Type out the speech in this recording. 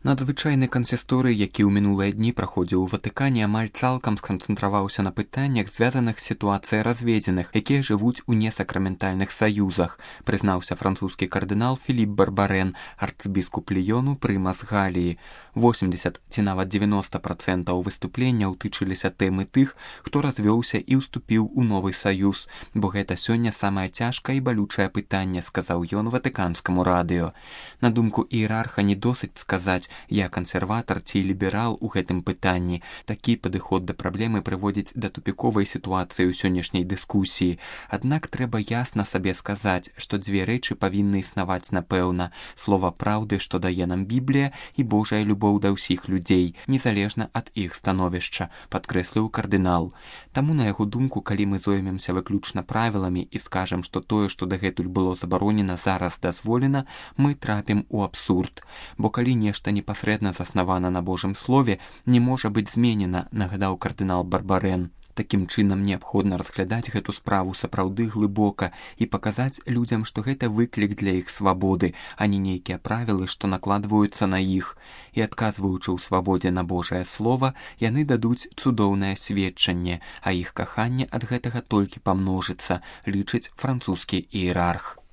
Надзвычайны кансісторый, які ў мінулыя дні праходзіў у Ватыкане, амаль цалкам сканцэнтраваўся на пытаннях, звязаных з сітуацыяй разведзеных, якія жывуць у несакраментальных саюзах, прызнаўся французскі кардынал Філіп Барбарен, арцыбіскуп Ліёну, прымас Галіі. 80 ці нават 90% выступленняў тычыліся тэмы тых, хто развёўся і ўступіў у новы саюз, бо гэта сёння самае цяжкае і балючае пытанне, сказаў ён ватыканскаму радыё. На думку іерарха, не досыць сказаць, я кансерватар ці ліберал у гэтым пытанні. Такі падыход да праблемы прыводзіць да тупіковай сітуацыі ў сённяшняй дыскусіі. Аднак трэба ясна сабе сказаць, што дзве рэчы павінны існаваць напэўна: слова праўды, што дае нам Біблія, і Божая любоў да ўсіх людзей, незалежна ад іх становішча, падкрэсліў кардынал. Таму, на яго думку, калі мы зоймемся выключна правіламі і скажам, што тое, што дагэтуль было забаронена, зараз дазволена, мы трапім у абсурд. Бо калі нешта непасрэдна заснавана на Божым слове, не можа быць зменена, нагадаў кардынал Барбарен. Такім чынам неабходна разглядаць гэту справу сапраўды глыбока і паказаць людзям, што гэта выклік для іх свабоды, а не нейкія правілы, што накладваюцца на іх. І адказваючы ў свабодзе на Божае слова, яны дадуць цудоўнае сведчанне, а іх каханне ад гэтага толькі памножыцца, лічыць французскі іерарх.